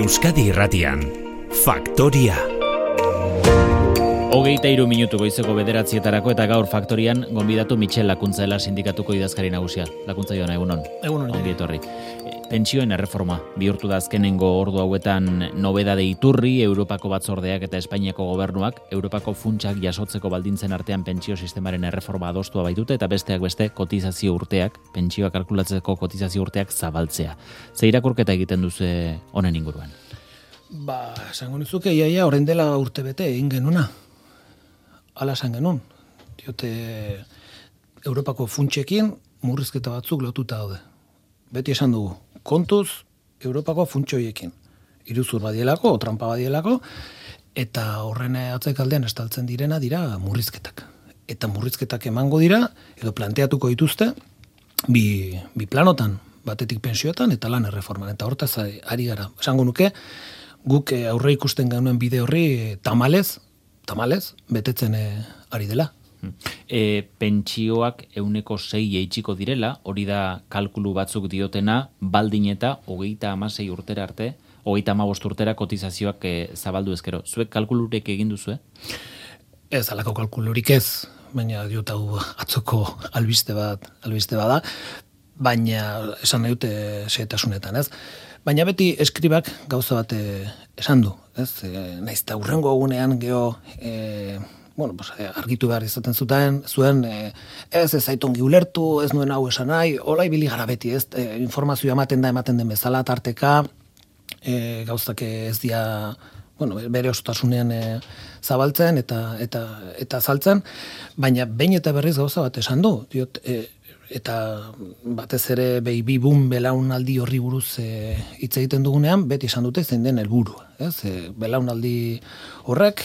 Euskadi Irratian, Faktoria. 23 minutu goizeko 9:00 eta gaur Faktorian gonbidatu Michel Lakuntzela sindikatuko idazkari nagusia. Lakuntza joan, egunon. Egunon. Ongi etorri. Pentsioen erreforma bihurtu da azkenengo ordu hauetan nobedade iturri, Europako batzordeak eta Espainiako gobernuak Europako funtsak jasotzeko baldintzen artean pentsio sistemaren erreforma adostua baitute eta besteak beste kotizazio urteak, pentsioa kalkulatzeko kotizazio urteak zabaltzea. Ze irakurketa egiten duzu honen inguruan? Esango nizuke iaia orain dela urte bete egin genuna. Hala esan genuen. Diote Europako funtsekin murrizketa batzuk lotuta daude. Beti esan dugu, kontuz Europako funtsoiekin. Iruzur badielako, trampa badielako, eta horren atzekaldean estaltzen direna dira murrizketak. Eta murrizketak emango dira, edo planteatuko dituzte, bi planotan, batetik pensioetan eta lan erreforman. Eta hortaz ari gara. Esango nuke, guk aurre ikusten genuen bide horri tamalez, betetzen ari dela. Pentsioak 6% jaitsiko direla, hori da kalkulu batzuk diotena, baldin eta 36 urtera arte, 35 urtera kotizazioak zabaldu ezkero. Zuek kalkulurek egin duzu, Ez, alako kalkulurik ez, baina diot hau atzoko albiste bada, baina esan nahi dute xehetasunetan, ez? Baina beti eskribak gauza bat esan du, ez? Naiz eta hurrengo egunean geho argitu behar izaten zuen, ez zaitongi ulertu, ez nuen hau esan nahi, hola ibili gara beti, ez? Informazioa ematen den bezala tarteka, gauzak ez dira, bere osotasunean zabaltzen eta saltzen, baina behin eta berriz gauza bat esan du, diot, eta batez ere baby boom belaunaldi horri buruz hitz egiten dugunean, beti esan dute zein den helburua, ez? Belaunaldi horrek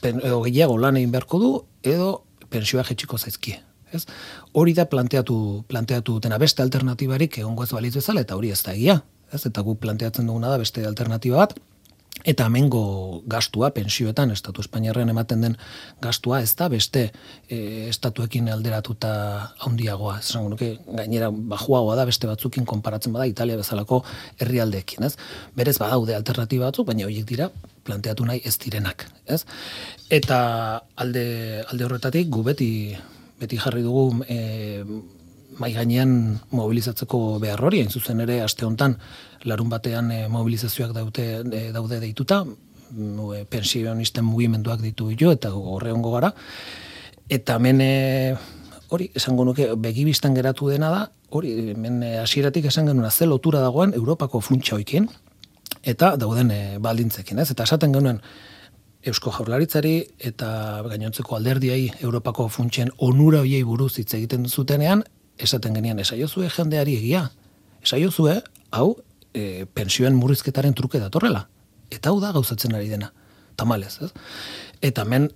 edo gehiago lan egin beharko du, edo pensioa jetxiko zaizkie, ez? Hori da planteatu dutena, beste alternatibarik egongo ez balitz bezala, eta hori ez da egia, ez? Eta guk planteatzen duguna da beste alternatiba bat, eta hemengo gastua, pensioetan, estatu espainiarrean ematen den gastua, ez da beste estatuekin alderatuta handiagoa. Esango nuke, gainera bajuagoa da beste batzukin konparatzen bada Italia bezalako herrialdeekin, ez? Berez badaude alternatiba batzuk, baina horiek dira planteatu nahi ez direnak, ez? Eta alde horretatik gu beti jarri dugu mai gainean mobilizatzeko behar hori, hain zuzen ere aste hontan larun batean mobilizazioak daude deituta, pensionisten mugimenduak ditu jo, eta horre hongo gara, eta hemen hori, esango nuke, begibistan geratu dena da, hori, hemen hasieratik esan genuen ze lotura dagoen Europako funtsaoekin, eta dauden baldintzekin, ez? Eta esaten genuen Eusko Jaurlaritzari eta gainontzeko alderdiei Europako funtsen onura hoiei buruz hitz egiten zutenean, esaten genian, esaiozue jendeari egia. Esaiozue, hau, pensioen murrizketaren truke datorrela. Eta hau da gauzatzen ari dena. Tamalez, ez? Eta hemen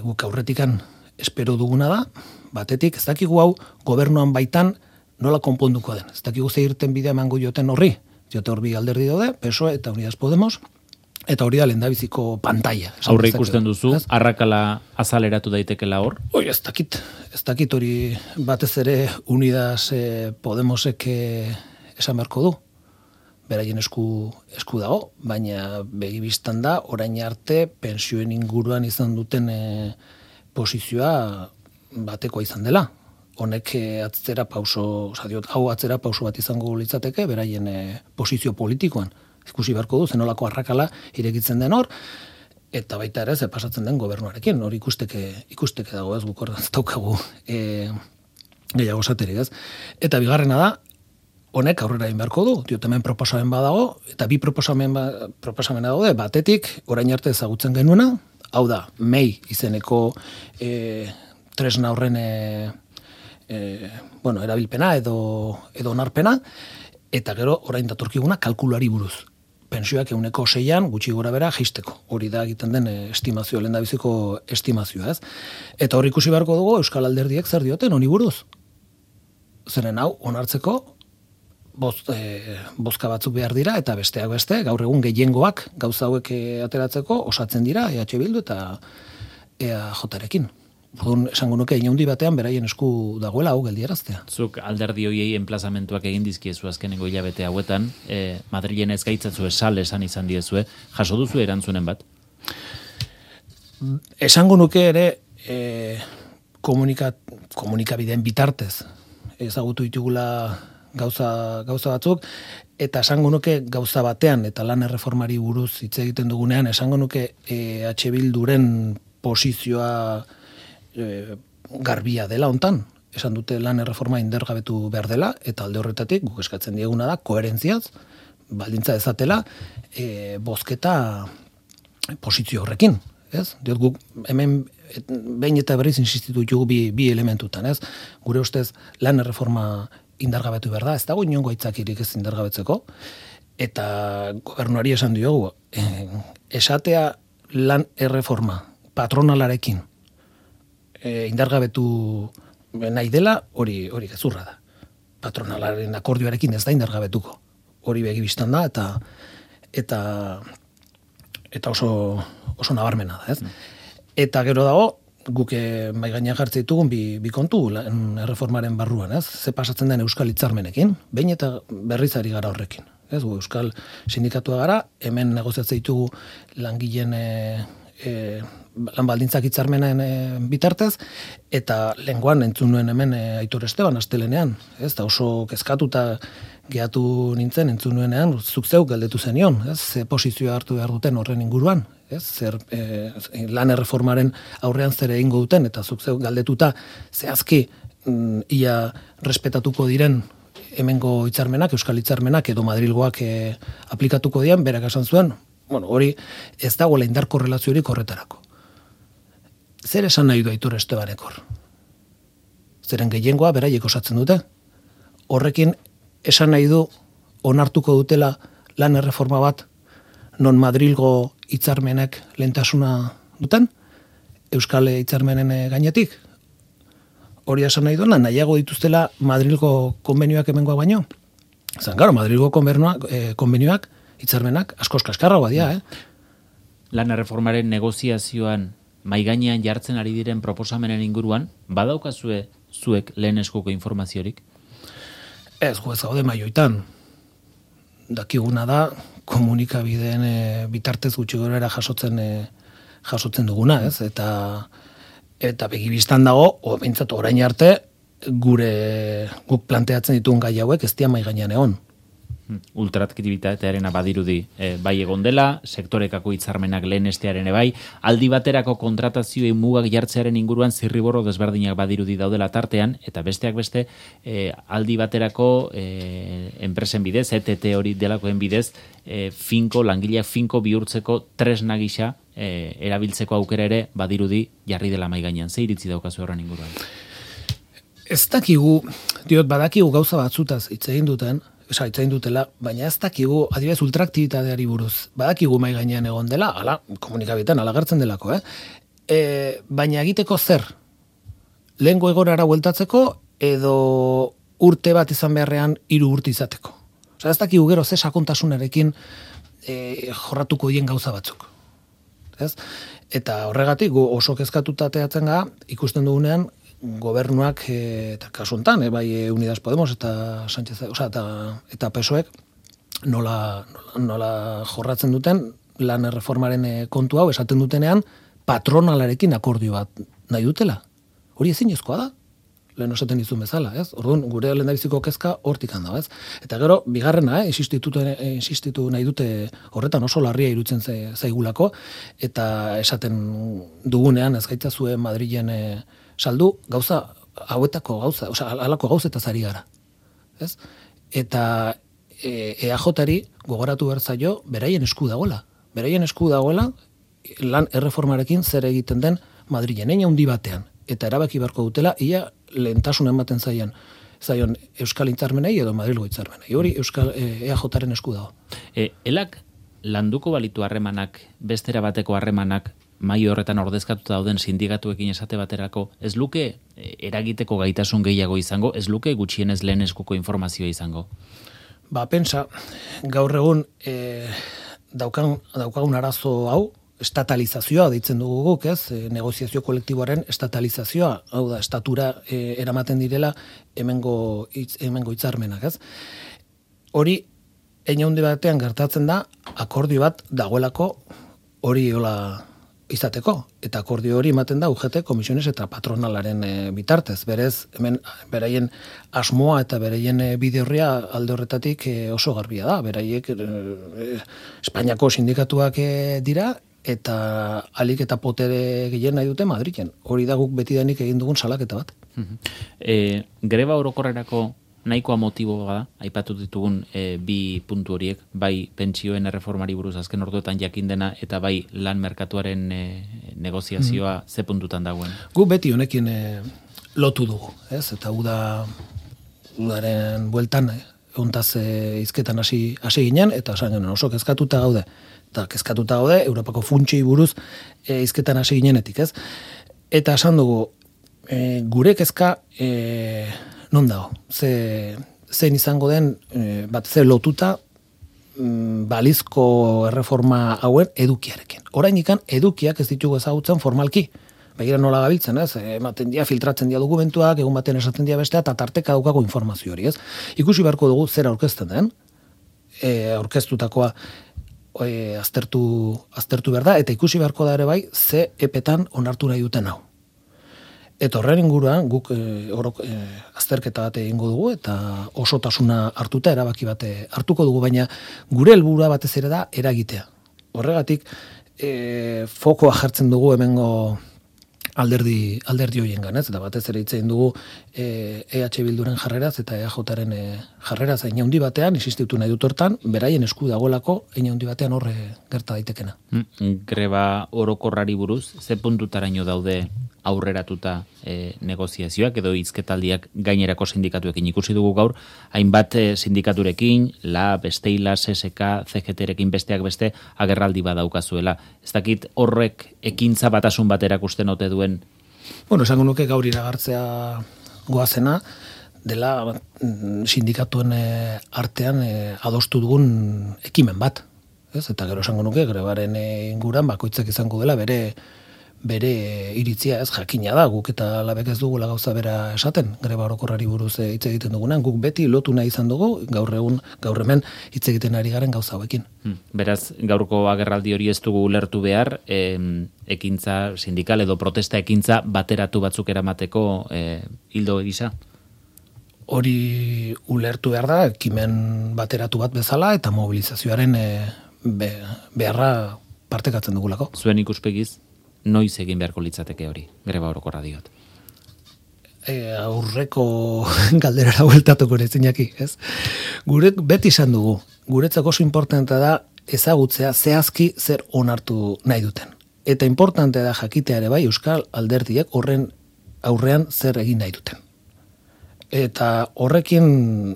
guk aurretikan espero duguna da, batetik, ez dakigu hau gobernuan baitan nola konponduko den. Ez dakigu ze irten bidea emango joten horri. Jote horbi alderdi daude, PSOE eta Unidas Podemos, eta hori da lehendabiziko pantaila. Aurre ikusten duzu, arrakala azaleratu daitekela hor? Ez dakit hori batez ere Unidas Podemosek esan beharko du. Beraien esku dago, baina begibistan da, orain arte pensioen inguruan izan duten posizioa batekoa izan dela. Honek atzera pauso bat izango litzateke, beraien posizio politikoan. Ikusi beharko du, zenolako arrakala irekitzen den hor, eta baita ere, ze pasatzen den gobernuarekin, hori ikusteke dago, ez guk ez daukagu gehiago saterik, ez? Eta bigarrena da, honek aurrera egin beharko du, hemen proposamen badago, eta bi proposamena daude, batetik, orain arte ezagutzen genuena, hau da, MEI izeneko tresna horren erabilpena edo onarpena, eta gero orain datorkiguna kalkuluari buruz. Pensioak 6% gutxi gora bera jaisteko. Hori da egiten den estimazioa, lehendabiziko estimazioa, ez? Eta hori ikusi beharko dugu Euskal Alderdiek zer dioten honi buruz. Zeren hau onartzeko bozka batzuk behar dira, eta besteak beste, gaur egun gehiengoak gauza hauek ateratzeko osatzen dira EH Bildu eta EAJarekin. Orduan, esango nuke, inaundi batean beraien esku dagoela hau geldiaraztea. Zuk alderdi hoiei enplazamentuak egin dizkiezu azkenengo hilabete hauetan, Madrilen ez gaitzatzu esal esan izan diezue, jaso duzu erantzunen bat? Esango nuke ere komunikabideen bitartez ezagutu ditugula gauza batzuk, eta esango nuke gauza batean, eta lan erreformari buruz hitz egiten dugunean, esango nuke H. Bilduren posizioa garbia dela hontan. Esan dute lan erreforma indargabetu behar dela, eta alde horretatik guk eskatzen dieguna da koherentziaz, baldintza dezatela bozketa posizio horrekin. Ez? Diot guk hemen behin eta berriz insistitu ditugu bi elementutan, ez? Gure ustez lan erreforma indargabetu behar da, ez dago inongo aitzakirik ez indargabetzeko, eta gobernuari esan diogu, esatea lan erreforma patronalarekin indargabetu nahi dela, hori gezurra da. Patronalaren akordioarekin ez da indargabetuko. Hori begibistan da, eta oso nabarmena da, ez? Eta gero dago, guk mai gainean jartzen ditugun bi kontu erreformaren barruan, ez? Ze pasatzen den Euskal Hitzarmenekin, behin eta berriz ari gara horrekin. Ez, Euskal Sindikatua gara, hemen negoziatzen ditugu langileen lan baldintzak hitzarmenen bitartez, eta lenguan entzun nuen hemen Aitor Esteban astelenean, ez? Da oso kezkatuta gehatu nintzen entzun nuenean, zuk zeuk galdetu zenion, ez? Ze posizioa hartu behar duten horren inguruan, ez? Zer lan erreformaren aurrean zer egingo duten, eta zuk zeuk galdetuta zehazki ia respetatuko diren hemengo hitzarmenak, Euskal Hitzarmenak edo Madrilgoak aplikatuko dian, berak esan zuen, hori ez dagoela indar korrelaziorik horretarako. Zer esan nahi du Aitor Estebanek hor? Zeren gehiengoa beraiek osatzen dute. Horrekin esan nahi du onartuko dutela lan erreforma bat non Madrilgo hitzarmenek lehentasuna duten, Euskal Hitzarmenen gainetik. Hori esan nahi duena, nahiago dituztela Madrilgo konbenioak hemengoa baino. Zan, gero, Madrilgo konbenioak, hitzarmenak, askoz kaskarragoa dira, Lan erreformaren negoziazioan mai gainean jartzen ari diren proposamenen inguruan, badaukazue zuek lehen eskuko informaziorik? Ez, ez gaude maioitan. Dakiguna da, komunikabideen bitartez gutxi gorera jasotzen duguna, ez? Eta begibistan dago, behintzat orain arte, guk planteatzen ditugun gai hauek ez dira mai gainean egon. Ultraaktibitatearen badirudi bai egon dela, sektorekako hitzarmenak lehenestearen bai, aldi baterako kontratazioei mugak jartzearen inguruan zirriborro desberdinak badirudi daudela tartean, eta besteak beste aldi baterako enpresen bidez, ETT hori delakoen bidez, langileak finko bihurtzeko tresna gisa erabiltzeko aukera ere badirudi jarri dela mai gainean. Ze iritzi daukazu horren inguruan? Ez dakigu, badakigu gauza batzutaz hitz egin dutela, baina ez dakigu, adibidez, ultraaktibitateari buruz, badakigu mai gainean egon dela, komunikabitan, gertzen delako, baina egiteko zer? Lehengo egorara bueltatzeko, edo urte bat izan beharrean 3 urte izateko. Ez dakigu gero ze sakontasunarekin jorratuko dien gauza batzuk. Ez? Eta horregatik, oso kezkatuta teatzen gara, ikusten dugunean, gobernuak, eta kasu honetan, bai Unidas Podemos eta Sánchez, eta PSOEk nola jorratzen duten lan erreformaren kontu hau esaten dutenean patronalarekin akordio bat nahi dutela. Hori ezinezkoa da, lehen esaten dizun bezala, ez? Orduan, gure lehendabiziko kezka hortik handa, ez? Eta gero, bigarrena, insistitu nahi dute horretan oso larria irutzen zaigulako, eta esaten dugunean ez gaitzazue Madrilen saldu hauetako gauza, halako gauzetaz ari gara. Ez? Eta EAJ-ari gogoratu behar zaio beraien esku dagoela. Beraien esku dagoela lan erreformarekin zer egiten den Madrilen, handi batean. Eta erabaki beharko dutela, ia lehentasuna ematen zaion Euskal Hitzarmenei edo Madrilgo Hitzarmenei. Hori EAJ-aren esku dago. Elak landuko balitu harremanak, bestera bateko harremanak, mai horretan ordezkatuta dauden sindikatuekin esate baterako, ez luke eragiteko gaitasun gehiago izango, ez luke gutxienez lehen eskuko informazioa izango? Pentsa, gaur egun daukagun arazo hau, estatalizazioa deitzen dugu guk, ez? Negoziazio kolektiboaren estatalizazioa, hau da, estatura eramaten direla hemengo hitzarmenak, ez? Hori, hein handi batean gertatzen da, akordio bat dagoelako hori hola izateko, eta akordio hori ematen da UGT komisiones eta patronalaren bitartez. Berez, hemen beraien asmoa eta beraien bide horria alde horretatik oso garbia da. Beraiek Espainiako sindikatuak dira, eta alik eta potere gehien nahi dute Madrilen. Hori da guk betidanik egin dugun salaketa bat. Greba orokorrerako nahikoa motiboa da, aipatu ditugun bi puntu horiek, bai pentsioen erreformari buruz azken orduetan jakin dena, eta bai lan merkatuaren negoziazioa ze puntutan dagoen. Gu beti honekin lotu dugu, ez? Eta udaren bueltan ontaz hizketan hasi ginen, eta esan genuen oso kezkatuta gaude. Eta kezkatuta gaude, Europako funtsei buruz hizketan hasi ginenetik, ez? Eta esan dugu, gure kezka non dago? Zein izango den, bat ze lotuta balizko erreforma hauen edukiarekin. Oraindikan edukiak ez ditugu ezagutzen formalki. Begira nola gabiltzen, ez? Ematen dia, filtratzen dia dokumentuak, egun baten esaten dia bestea, eta tarteka daukago informazio hori, ez? Ikusi beharko dugu zer aurkezten den, aurkeztutakoa aztertu behar da, eta ikusi beharko da ere bai, ze epetan onartu nahi duten hau. Eta horren inguruan guk azterketa bat egingo dugu eta osotasuna hartuta erabaki bat hartuko dugu, baina gure helburua batez ere da eragitea. Horregatik fokoa jartzen dugu hemengo alderdi hoiengan, ez? Eta batez ere hitz egin dugu EH Bilduren jarreraz eta EAJren jarreraz hein handi batean, insistitu nahi dut hortan, beraien esku dagoelako hein handi batean horre gerta daitekena. Greba orokorrari buruz, ze puntutaraino daude aurreratuta negoziazioak edo hizketaldiak gainerako sindikatuekin ikusi dugu gaur, hainbat sindikaturekin, LAB, Steilas, SSK, CGT-rekin besteak beste agerraldi badaukazuela. Ez dakit horrek ekintza batasun bat erakusten ote duen? Bueno, esango nuke gaur iragartzea goazena dela sindikatuen artean adostu dugun ekimen bat. Ez? Eta gero esango nuke grebaren inguran bakoitzak izango dela bere iritzia, ez, jakina da, guk eta labek ez dugula gauza bera esaten, greba orokorrari buruz hitz egiten dugunan, guk beti lotu nahi izan dugu, gaur hemen hitz egiten ari garen gauza hauekin. Beraz, gaurko agerraldi hori ez dugu ulertu behar, ekintza sindikal edo protesta ekintza bateratu batzuk eramateko hildo gisa? Hori ulertu behar da, ekimen bateratu bat bezala eta mobilizazioaren beharra partekatzen dugulako. Zuen ikuspegiz, noiz egin beharko litzateke hori, greba orokorra diot? Aurreko galderara bueltatuko nezinaki, ez? Gure beti izan dugu, guretzako oso importantea da ezagutzea zehazki zer onartu nahi duten. Eta importantea da jakitea ere bai euskal alderdiek horren aurrean zer egin nahi duten. Eta horrekin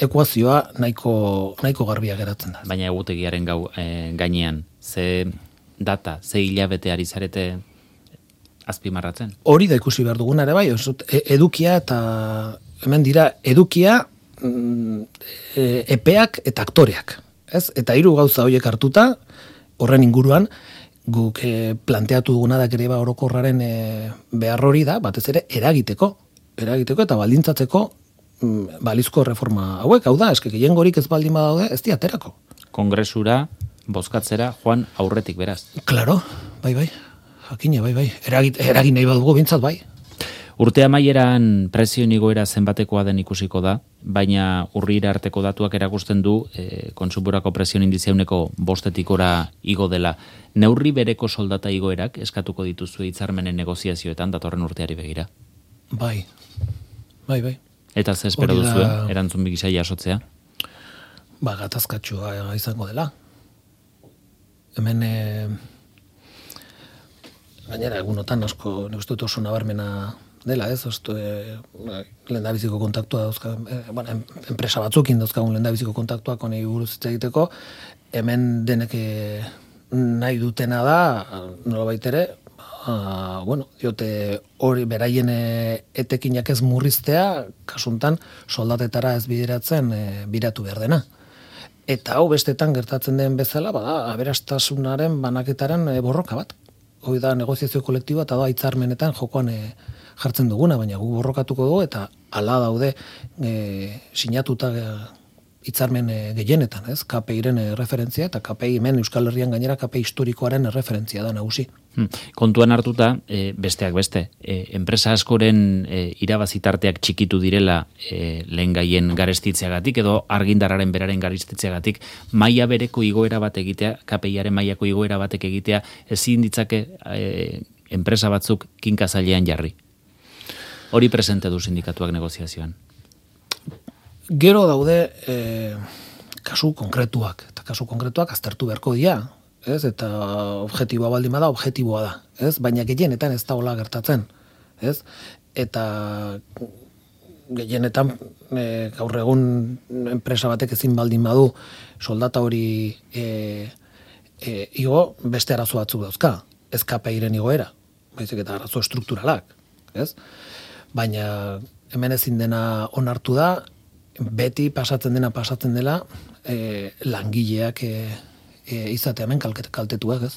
ekuazioa nahiko garbia geratzen da. Baina egutegiaren gainean, ze data, ze hilabete ari zarete azpimarratzen? Hori da ikusi behar duguna ere bai, edukia eta hemen dira edukia, epeak eta aktoreak. Ez? Eta 3 gauza horiek hartuta, horren inguruan, guk planteatu duguna da greba orokorraren behar hori da, batez ere eragiteko eta baldintzatzeko balizko reforma hauek, hau da, eske gehiengorik ez baldin badaude, ez diaterako. Kongresura bozkatzera joan aurretik beraz. Claro, bai, jakina, bai, eragin nahi badugu bintzat, bai. Urte amaieran prezioen igoera zenbatekoa den ikusiko da, baina urrira arteko datuak erakusten du kontsumorako prezioen indizea 5%-ora igo dela. Neurri bereko soldata igoerak eskatuko dituzue hitzarmenen negoziazioetan datorren urteari begira? Bai. Eta ze espero duzue, erantzun bigisa jasotzea? Gatazkatsua izango dela. Hemen gainera egunotan asko neuztut oso nabarmena dela, ez? Lehendabiziko kontaktua dauzka, enpresa batzukin dauzkagun lehendabiziko kontaktuak honei buruz hitz egiteko, hemen denek nahi dutena da, nolabait ere, diote hori beraien etekinak ez murriztea, kasuntan soldatetara ez bideratzen biratu behar dena. Eta hau bestetan gertatzen den bezala, bada, aberastasunaren banaketaren borroka bat. Hoi da negoziazio kolektiboa eta da hitzarmenetan jokoan jartzen duguna, baina gu borrokatuko dugu eta hala daude sinatuta hitzarmen gehienetan, ez? KPIren referentzia eta KPI hemen Euskal Herrian gainera KPI historikoaren referentzia da nagusi. Kontuan hartuta, besteak beste, enpresa askoren irabazitarteak txikitu direla lehen gaien garestitzeagatik edo argindarraren beraren garestitzeagatik, maila bereko igoera bat egitea, KPIaren mailako igoera batek egitea, ezin ditzake enpresa batzuk kinkazailean jarri. Hori presente du sindikatuak negoziazioan. Gero daude kasu konkretuak, eta kasu konkretuak aztertu beharko dira, ez? Eta objektiboa baldin bada, objektiboa da, ez? Baina gehienetan ez da hola gertatzen, ez? Eta gehienetan gaur egun enpresa batek ezin baldin badu soldata hori igo, beste arazo batzuk dauzka, ez KPIren igoera, baizik eta arazo estrukturalak, ez? Baina hemen ezin dena onartu da, beti pasatzen dela langileak izatea hemen kaltetuak, ez?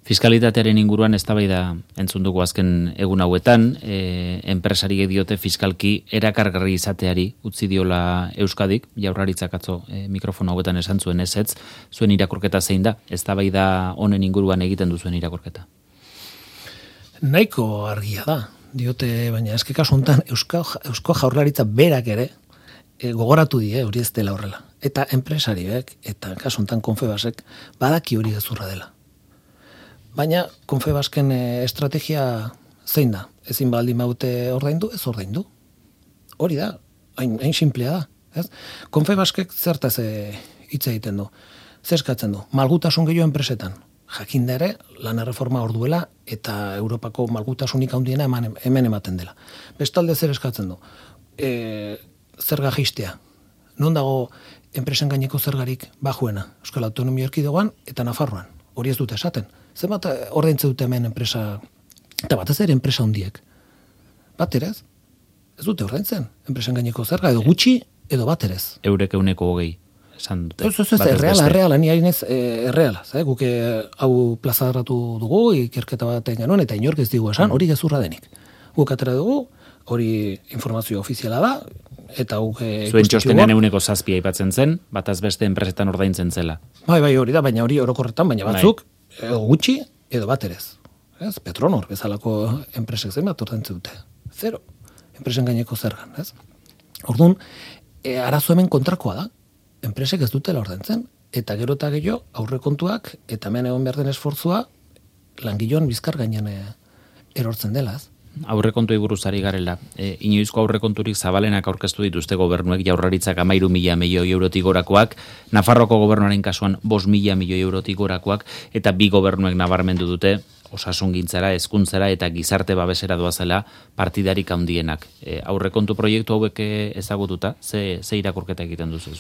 Fiskalitatearen inguruan eztabaida entzun dugu azken egun hauetan, enpresari diote fiskalki erakargarri izateari utzi diola Euskadik, Jaurlaritzak atzo mikrofono hauetan esan zuen ezetz, zuen irakurketa zein da? Eztabaida honen inguruan egiten duzuen irakurketa? Nahiko argia da, diote, baina eske kasu honetan Eusko Jaurlaritza berak ere gogoratu die hori ez dela horrela. Eta enpresariek, eta kasu honetan Confebasek, badaki hori gezurra dela. Baina Confebasken estrategia zein da? Ezin baldin baute ordaindu, ez ordaindu. Hori da, hain simplea da. Ez? Confebaskek zertaz hitz egiten du. Zer eskatzen du? Malgutasun gehiago enpresetan. Jakinda ere, lan erreforma hor duela eta Europako malgutasunik handiena hemen ematen dela. Bestalde zer eskatzen du? Zerga jaistea. Non dago enpresen gaineko zergarik bajuena? Euskal Autonomia Erkidegoan eta Nafarroan. Hori ez dute esaten. Zenbat ordaintzen dute hemen enpresa, eta batez ere enpresa handiek. Bat ere ez? Ez dute ordaintzen. Enpresen gaineko zerga edo gutxi edo bat ere ez. Eurek 120 esan dute. Ez, erreala, ni hainez erreala. Guk hau plazadaratu dugu, ikerketa baten genuen, eta inork ez digu esan, hori gezurra denik. Guk atera dugu, hori informazio ofiziala da, eta guk zuen txostenean 107 aipatzen zen, bataz beste enpresetan ordaintzen zela. Bai, hori da, baina hori orokorretan, baina batzuk edo gutxi edo bat ere ez. Petronor bezalako enpresek zen bat ordaintzen dute. Zero. Enpresen gaineko zergan, ez? Orduan, arazo hemen kontrakoa da. Enpresek ez dutela ordaintzen, eta gero eta gehiago aurrekontuak eta hemen egon behar den esfortzua langileon bizkar gainean erortzen dela, ez? Aurrekontuei buruz ari garela. Inoizko aurrekonturik zabalenak aurkeztu dituzte gobernuek, Jaurlaritzak 13.000 milioi eurotik gorakoak, Nafarroko gobernuaren kasuan 5.000 milioi eurotik gorakoak, eta bi gobernuek nabarmendu dute osasungintzara, hezkuntzara eta gizarte babesera doazela partidarik handienak. Aurrekontu proiektu hauek ezagututa, ze irakurketa egiten duzu?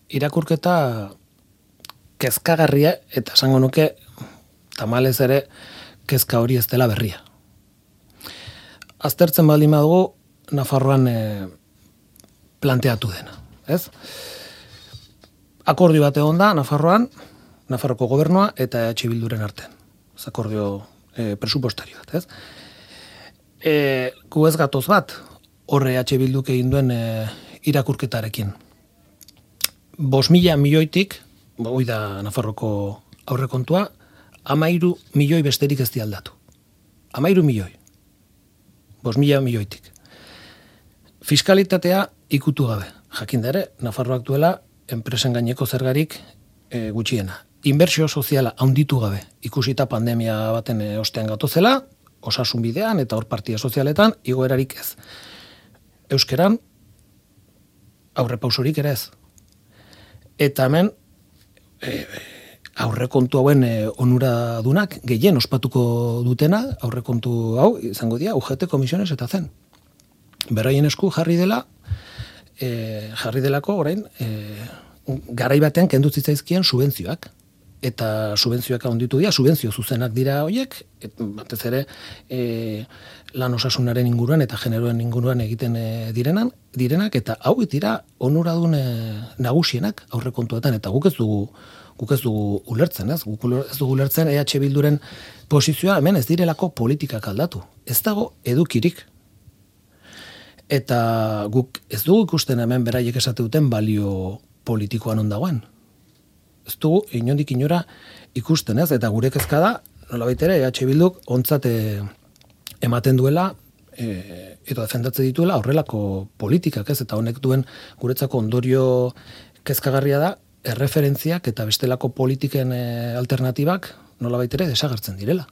Irakurketa kezkagarria, eta esango nuke tamalez ere kezka hori ez dela berria. Aztertzen baldin badugu Nafarroan planteatu dena, ez? Akordio bat egon da Nafarroan, Nafarroko gobernua eta EH Bilduren artean. Ez akordio presupostario bat, ez? Gu ez gatoz bat, horre EH Bilduk egin duen irakurketarekin. 5.000 milioitik, hoi da Nafarroko aurrekontua, 13 milioi besterik ez di aldatu. 13 milioi. 5.000 milioitik. Fiskalitatea ikutu gabe. Jakinda ere, Nafarroak duela enpresen gaineko zergarik gutxiena. Inbertsio soziala handitu gabe. Ikusita pandemia baten ostean gatozela, osasun bidean eta hor partia sozialetan, igoerarik ez. Euskeran, aurrepausorik ere ez. Eta hemen, aurrekontu hauen onuradunak gehien ospatuko dutena, aurrekontu hau izango dira UGT komisiones eta zen. Beraien esku jarri delako orain garai batean kendu zitzaizkien subentzioak. eta subentzioak handitu dira, subentzio zuzenak dira horiek, batez ere lan osasunaren inguruan eta generoen inguruan egiten direnak, eta hau dira onuradun nagusienak aurrekontuetan, eta guk ez dugu ulertzen, ez? Guk ez dugu ulertzen EH Bilduren posizioa hemen ez direlako politikak aldatu. Ez dago edukirik. Eta guk ez dugu ikusten hemen beraiek esate duten balio politikoan ondagoen. Ez dugu inondik inora ikusten, ez? Eta gure kezka da, nolabait ere EH Bilduk ontzat ematen duela eta defendatze dituela horrelako politikak, ez? Eta honek duen guretzako ondorio kezkagarria da erreferentziak eta bestelako politiken alternatibak nolabait ere desagertzen direla.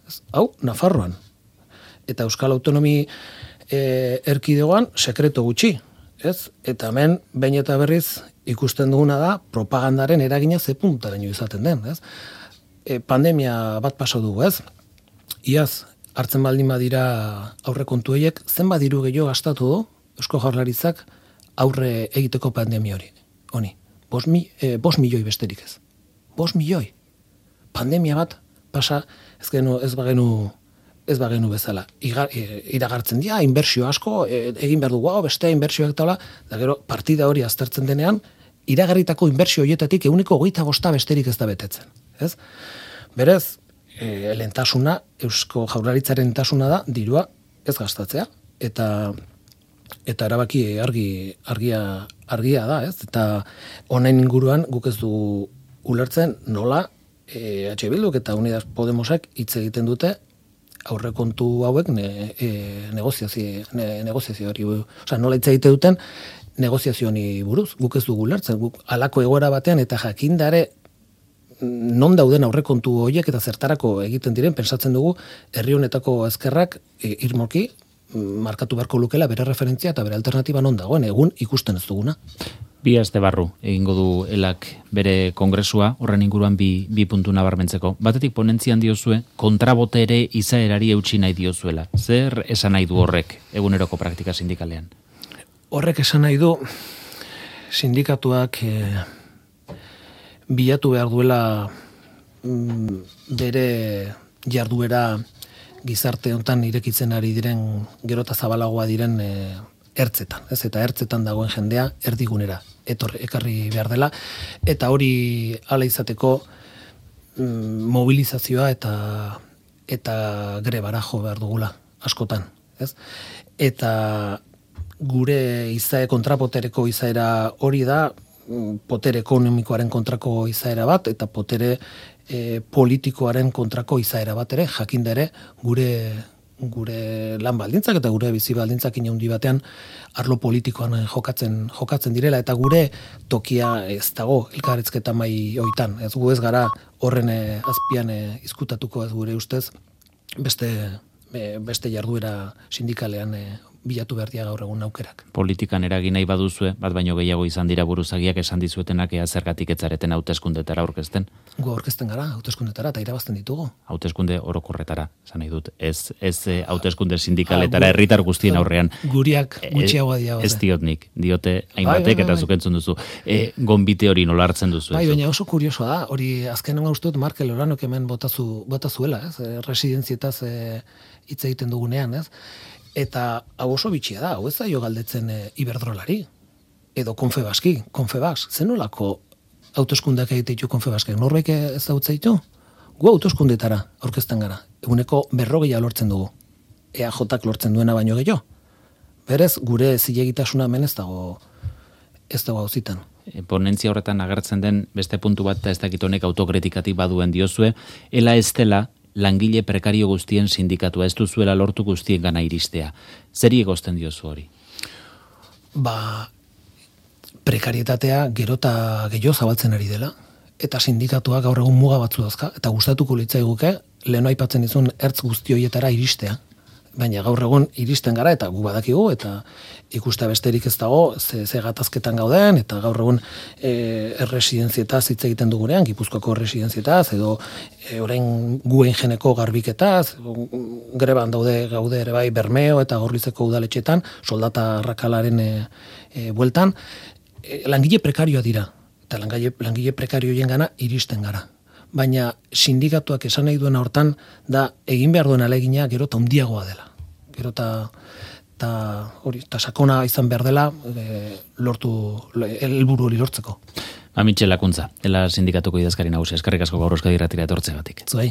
Ez? Hau, Nafarroan. Eta Euskal Autonomi erkidegoan sekreto gutxi, ez? Eta hemen behin eta berriz ikusten duguna da propagandaren eragina ze puntaraino izaten den, ez? Pandemia bat paso dugu, ez? Iaz hartzen baldin badira aurrekontu horiek, zenbat diru gehiago gastatu du Eusko Jaurlaritzak aurre egiteko pandemia honi. 5 milioi besterik ez. 5 milioi. Pandemia bat pasa ez bagenu bezala. Iragartzen dira, inbertsio asko, egin behar dugu, beste inbertsioak taula, da gero partida hori aztertzen denean, iragarritako inbertsio horietatik 25% besterik ez da betetzen. Ez? Berez, lehentasuna, Eusko Jaurlaritzaren lehentasuna da, dirua ez gastatzea, eta erabaki argia da, ez? Eta honen inguruan guk ez du ulertzen nola EH Bilduk eta Unidas Podemosak hitz egiten dute aurrekontu hauek negoziazio hori, nola hitz egite duten negoziazio honi buruz, guk ez dugu ulertzen, guk halako egoera batean eta jakindare non dauden aurrekontu horiek eta zertarako egiten diren, pensatzen dugu herri honetako ezkerrak irmoki markatu beharko lukela bere referentzia eta bere alternatiba non dagoen, egun ikusten ez duguna. 2 aste barru egingo du elak bere kongresua, horren inguruan bi puntu nabarmentzeko. Batetik ponentzian diozue, kontrabotere izaerari eutsi nahi diozuela. Zer esan nahi du horrek eguneroko praktika sindikalean? Horrek esan nahi du sindikatuak bilatu behar duela bere jarduera gizarte hontan irekitzen ari diren gerota zabalagoa diren ertzetan, ez? Eta ertzetan dagoen jendea erdigunera ekarri behar dela, eta hori hala izateko mobilizazioa eta grebara jo behar dugula askotan, ez? Eta gure kontrapotereko izaera hori da, potere ekonomikoaren kontrako izaera bat, eta potere politikoaren kontrako izaera bat ere, jakinda ere gure lan baldintzak eta gure bizi baldintzak inaundi batean arlo politikoan jokatzen direla, eta gure tokia ez dago elkarrizketa mai hoitan. Ez gu ez gara horren azpian izkutatuko, ez gure ustez beste jarduera sindikalean bilatu behar dia gaur egun aukerak. Politikan eragin nahi baduzue, bat baino gehiago izan dira buruzagiak esan dizuetenak ea zergatik etzareten hauteskundetara aurkezten? Gu aurkezten gara hauteskundetara eta irabazten ditugu. Hauteskunde orokorretara, esan nahi dut. Ez hauteskunde sindikaletara herritar guztien aurrean. Guriak gutxiagoa dira. Ez diot nik, diote hainbatek eta zuk entzun duzu. Gonbite hori nola hartzen duzu? Baina oso kuriosoa da, hori azkenean uste dut Markel Oranok hemen botazuela, ez? Residenzietaz hitz egiten dugunean, ez? Eta hau oso bitxia da, hau ez zaio galdetzen Iberdrolari, edo Confebask, zenolako hauteskundeak egite ditu Confebaskek, norbait ez dautza ditu? Gu hauteskundetara aurkezten gara, eguneko 40 lortzen dugu, EAJak lortzen duena baino gehiago. Berez, gure zilegitasuna hemen ez dago hauzitan. Ponentzia horretan agertzen den beste puntu bat, eta ez dakit honek autokritikatik baduen diozue, ela ez dela langile prekario guztien sindikatua, ez duzuela lortu guztien gana iristea. Zeri egozten diozu hori? Prekarietatea gerota gehiago zabaltzen ari dela, eta sindikatuak gaur egun muga batzu dauzka, eta gustatuko litzaiguke lehen aipatzen dizun ertz guzti horietara iristea. Baina gaur egun iristen gara, eta gu badakigu, eta ikuste besterik ez dago, ze gatazketan gauden, eta gaur egun erresidenzietaz hitz egiten dugunean, Gipuzkoako erresidenzietaz, edo orain guen jeneko garbiketaz, greban gaude ere bai Bermeo eta Gorlizeko udaletxetan, soldata arrakalaren bueltan, langile prekarioa dira, eta langile prekarioen gana iristen gara. baina sindikatuak esan nahi duena hortan da egin behar duen alegina gero eta handiagoa dela. Gero eta sakona izan behar dela helburu hori lortzeko. Mitxel Lakuntza, dela sindikatuko idazkari nagusia, eskerrik asko gaur Euskadi Irratira etortzeagatik. Zuei.